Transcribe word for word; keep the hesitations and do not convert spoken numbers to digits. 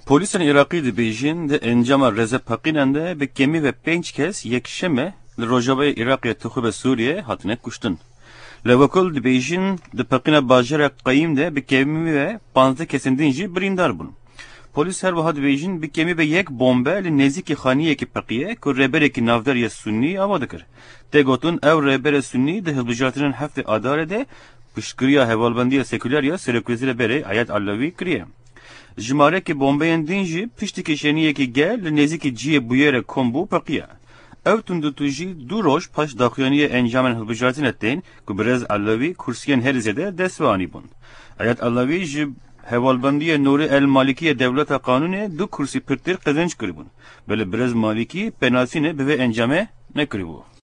Polîsên Iraqî dibêjin, di encama rêzepeqînan de bi kêmî ve pênc kes yekşeme li rojavayê Iraqê tixûbe Sûriyê hatine kuştin. Li Wekul dibêjin, di peqîna bajêra Qeyîm de bi kêmî ve panzdeh kesên din jî birîndar bûn. Polîs her wiha dibêjin, bi kêmî ve yek bombe li nêzîkî xaniyekî peqiye ku rêberekî navdar ya Sunnî ava dikir. Tê gotin, ew rêberê Sunnî di hilbijartinên heftê Adarê de piştgiriya Hevalbendiya Sekuler ya Serokwezîrê berê Eyad Allawî kiriye. Jimarekî bombeyên din jî piştî kişêniyekî germ li nêzîkî cihê bûyerê kom bû peqiya. Ew tundûtûjî du roj paş daxuyaniyê encamên hilbijartinê tên ku birêz Elewî kursiyên herî zêde dest ve anîbûn. Eyad Elewî ji hevalbendiyê Nûrî El Malikiyê dewleta qanûnê du kursî pirtir qezenc kiribûn. Belê birêz Malikî pênasînê bi vê encamê nekiribû.